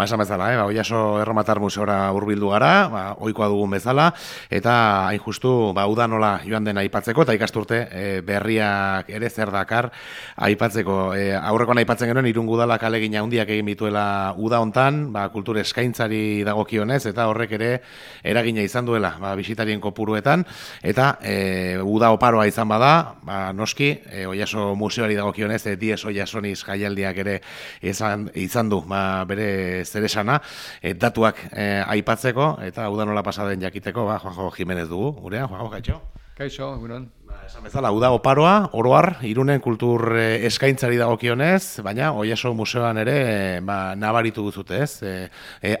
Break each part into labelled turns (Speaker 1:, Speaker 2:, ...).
Speaker 1: esan bezala, Oiaso Erromatar Museora hurbildu gara, ohikoa dugun bezala, eta hain justu, uda nola joan den aipatzeko, eta ikasturte berriak ere zer dakar aipatzeko. Aurrekoan aipatzen genuen, Irungo Udalak ahalegin handiak egin bituela uda hontan, kultur eskaintzari dagokionez, eta horrek ere eragina izan duela, bisitarien kopuruetan, eta uda oparoa izan bada, noski, Oiaso Museoari dagokionez, Dies Oiasoniz jaialdiak ere izan du, bere zeresana, datuak aipatzeko, eta uda nola pasaden jakiteko, Juanjo Jimenez dugu, gurean, Juanjo, kaixo?
Speaker 2: Kaixo, egunon.
Speaker 1: Esan bezala, uda oparoa, oroar, Irunen kultur eskaintzari dagokionez, baina Oiaso Museoan ere nabaritu duzute, ez?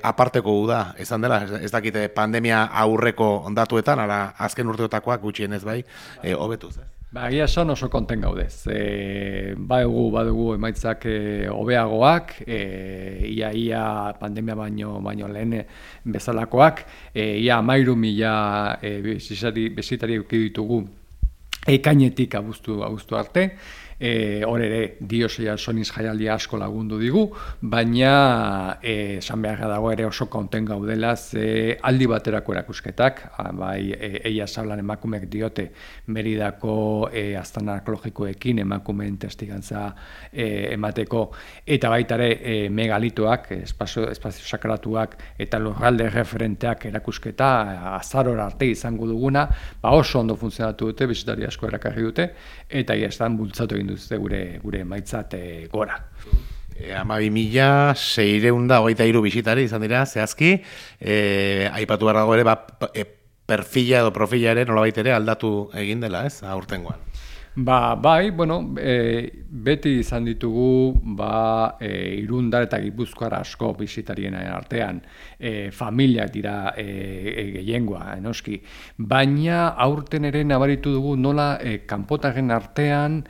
Speaker 1: Aparteko uda, izan dela, ez dakite pandemia aurreko datuetan, ala azken urteotakoak gutxienez bai, hobetuz, ez?
Speaker 2: Egia esan oso konten gaudez. Badugu emaitzak hobeagoak, ia pandemia baino lehen bezalakoak, ia 13.000 bisitari eduki ditugu ekainetik abuztu arte. Hor ere, Dies Oiasoniz jaialdia asko lagundu digu, baina esan beharra dago ere oso konten gaudela, ze aldi baterako erakusketak, bai Eia Sablan emakumeek diote Meridako aztarna arkeologikoekin emakumeen testigantza emateko, eta baita ere megalitoak, espazio sakratuak eta lurralde referenteak erakusketa azarora arte izango duguna, oso ondo funtzionatu dute, bisitari asko erakarri dute, eta estan bultzatu egin duzte gure maitzat gora.
Speaker 1: 12.623 bisitari izan dira, zehazki, aipatu behar dago ere, perfila edo profila ere nolabait ere aldatu egin dela, ez, aurtengoan.
Speaker 2: Bai, beti izan ditugu Irundar eta Gipuzkoar asko bisitarien artean, familiak dira gehiengoa, noski, baina aurten ere nabaritu dugu nola kanpotarren artean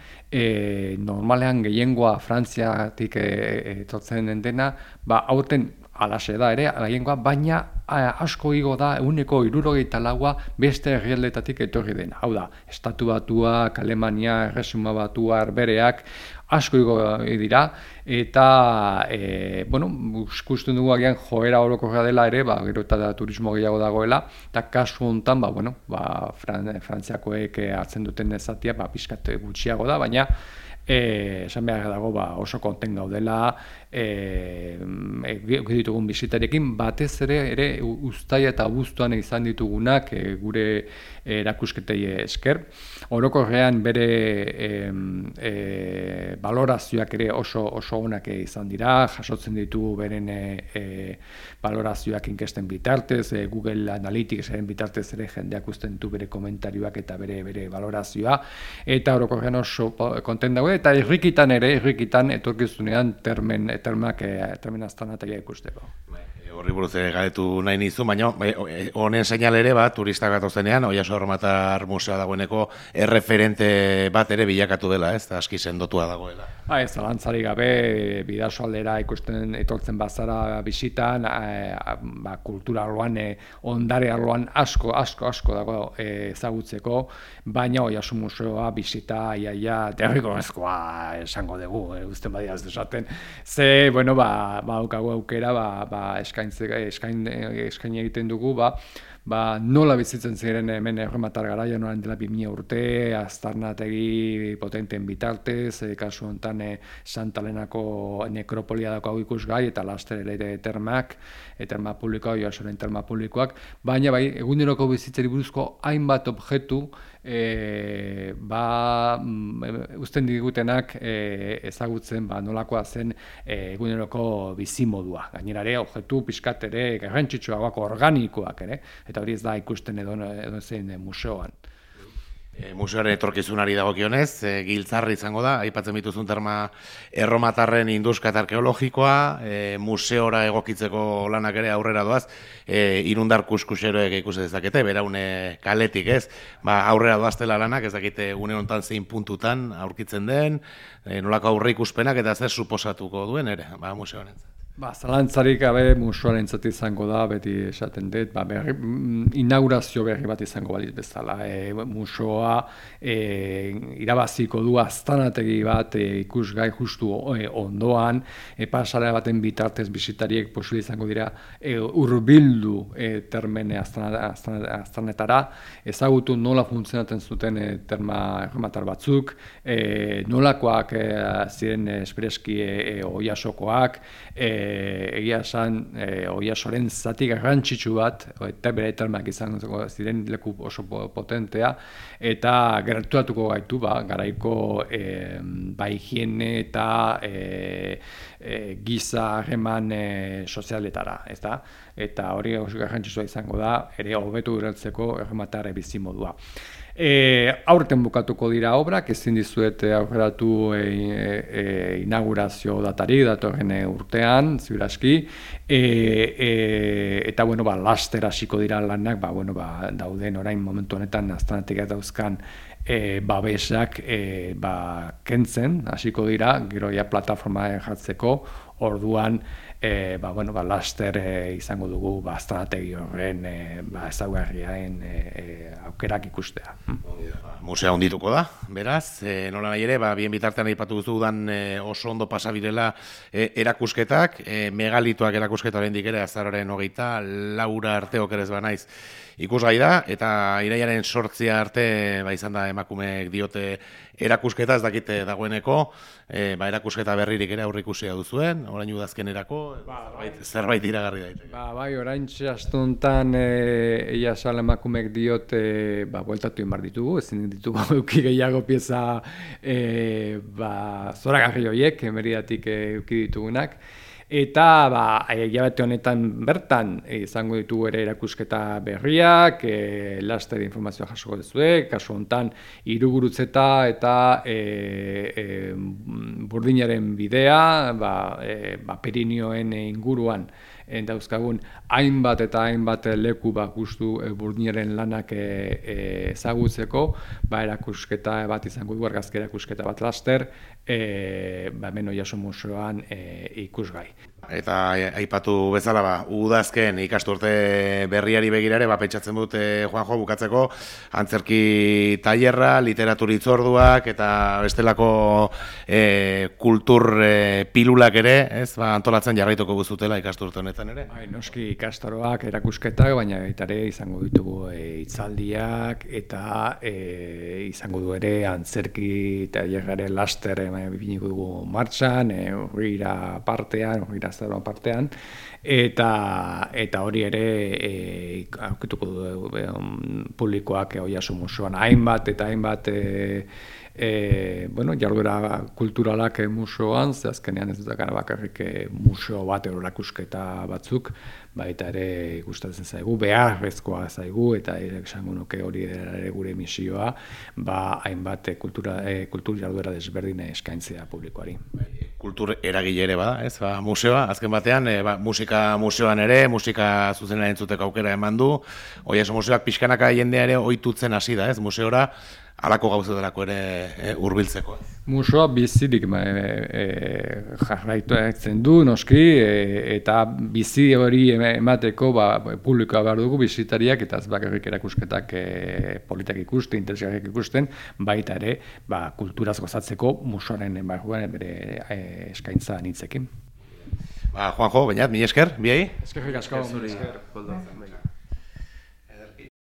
Speaker 2: normalean gehiengoa Frantziatik etortzen dena, aurten alaxe da ere, gehiengoa, baina asko igo da 74% beste herrialdetatik etorri dena. Hau da, Estatu Batuak, Alemania, Erresuma Batua, Herbehereak, asko igo dira, eta, ikusten dugu agian joera orokorra dela ere, gero eta turismo gehiago dagoela, eta kasu honetan, Frantziakoek hartzen duten zatia, pixkat gutxiago da, baina, esan behar dago oso konten gaudela ditugun bisitarekin, batez ere uztaia eta abuztuan izan ditugunak gure erakusketei esker. Orokorrean bere balorazioak ere oso onak izan dira, jasotzen ditugu beren balorazioak inkesten bitartez, Google Analyticsaren bitartez ere jendeak usten du bere komentarioak eta bere balorazioa, eta orokorrean oso konten dago, eta irrikitan etorkizunean termen aztanataia ikusteko.
Speaker 1: Horri buruz galetu nahi nizu, baina honen seinal ere turistak gatozenean, Oiaso Erromatar Museoa dagoeneko erreferente bat ere bilakatu dela, ez? Aski sendotua dagoela.
Speaker 2: Ez, zalantzarik gabe, bidasoaldera ikusten etortzen bazara bisitan, kultura arloan, ondare arloan asko dago ezagutzeko, baina Oiaso Museoa bisita derrigorrezkoa esango dugu, uzten badia ez desaten. Ze, daukagu aukera, eskain egiten dugu, nola bizitzen ziren hemen Erromatar garaian orain dela 2000 urte, aztarnategi potenteen bitartez, kasu honetan Santa Elenako nekropolia daukagu ikusgai, eta laster ere terma publikoa, Oiasoren terma publikoak, baina eguneroko bizitzari buruzko hainbat objektu uzten digutenak ezagutzen nolakoa zen eguneroko bizimodua. Gainera ere, objektu pixkat ere garrantzitsuagoak, organikoak ere, eta hori ez da ikusten edo zein museoan.
Speaker 1: Museoaren etorkizunari dagokionez, giltzarri izango da, aipatzen bituzun terma erromatarren induskat arkeologikoa, museora egokitzeko lanak ere aurrera doaz, Irundar kuskuseroek ikusi dezakete, beraune kaletik ez, aurrera doaztela lanak, ez dakite une honetan zein puntutan aurkitzen den, nolako aurre ikuspenak eta zer suposatuko duen ere, museoaren.
Speaker 2: Zalantzarik gabe museoarentzat izango da, beti esaten dut, inaugurazio berri bat izango balitz bezala. Museoa irabaziko du aztanategi bat ikusgai justu ondoan, pasarea baten bitartez bisitariek posible izango dira hurbildu termene aztanetara, ezagutu nola funtzionatzen zuten terma errematar batzuk, nolakoak ziren espreski oiasokoak, egia esan oiasoren zati garrantzitsu bat, eta bere termak izango ziren leku oso potentea, eta gerturatuko gaitu garaiko higiene eta giza harreman sozialetara, eta hori oso garrantzitsua izango da, ere hobetu ureltzeko errematare bizimodua. Aurten bukatuko dira obrak, ezin dizuet aurreratu inaugurazio datari datorren urtean, ziur aski, eta laster hasiko dira lanak, dauden orain momentu honetan aztanatik dauzkan babesak kentzen, hasiko dira, gero ja plataforma jartzeko, orduan laster izango dugu aztanategi horren ezaugarriaren aukerak ikustea.
Speaker 1: Musea hondituko da, beraz, nola nahi ere, bien bitartean aipatu duzu udan oso ondo pasabirela erakusketak, megalitoak erakusketa oraindik ere azaroaren 24 arte okerez banaiz ikusgai da, eta iraiaren 8 arte izan da emakumeek diote erakusketa, ez dakite dagoeneko, erakusketa berririk ere aurrikusia duzuen, orain udazkenerako, zerbait iragarri daite.
Speaker 2: Orain astuntan eia sal emakumeek diote bueltatu inbar ditugu, ezin ditugu euki gehiago pieza zoragarri horiek, Meridatik euki ditugunak. Eta hilabete honetan bertan izango ditugu ere erakusketa berriak, laster informazioa jasoko duzue, kasu honetan Hirugurutzeta eta Burdinaren bidea, Pirinioen inguruan dauzkagun hainbat eta hainbat leku justu Burdinaren lanak ezagutzeko, erakusketa bat izango du, argazki erakusketa bat laster, hemen Oiartzun museoan ikusgai.
Speaker 1: Eta aipatu bezala, udazken ikasturte berriari begirare, pentsatzen dut, Juanjo, bukatzeko, antzerki tailerra, literatur hitzorduak, eta bestelako kultur pilulak ere, antolatzen jarraituko guztutela ikasturte honetan ere?
Speaker 2: Noski ikastaroak, erakusketak, baina ere izango ditugu hitzaldiak, eta izango du ere antzerki tailerraren laster bipiniko dugu martxan, horrira partean, eta hori ere aurkituko du publikoak Oiartzun museoan hainbat eta hainbat jarduera kulturalak museoan, ze azkenean ez dut bakarrik museo bat erakusketa batzuk, eta ere gustatzen zaigu, beharrezkoa zaigu, eta esango nuke hori ere gure misioa, hainbat kultur jarduera desberdin eskaintzea publikoari.
Speaker 1: Kultur eragile ere bada, ez? Museoa, azken batean, musika museoan ere, musika zuzenean entzuteko aukera eman du, Oiartzun museoak pixkanaka jendea ere ohitutzen hasi da, ez? Museora, halako gauzetarako ere hurbiltzeko.
Speaker 2: Museoa bizirik jarraitzen du, noski, eta bizi hori emateko publikoa behar dugu bisitariak, eta ez bakarrik erakusketak politak ikusten, interesgarriak ikusten, baita ere kulturaz gozatzeko museoaren barruan bere eskaintza anitzekin.
Speaker 1: Juanjo, bainat, mila esker, biai?
Speaker 2: Eskerrik asko.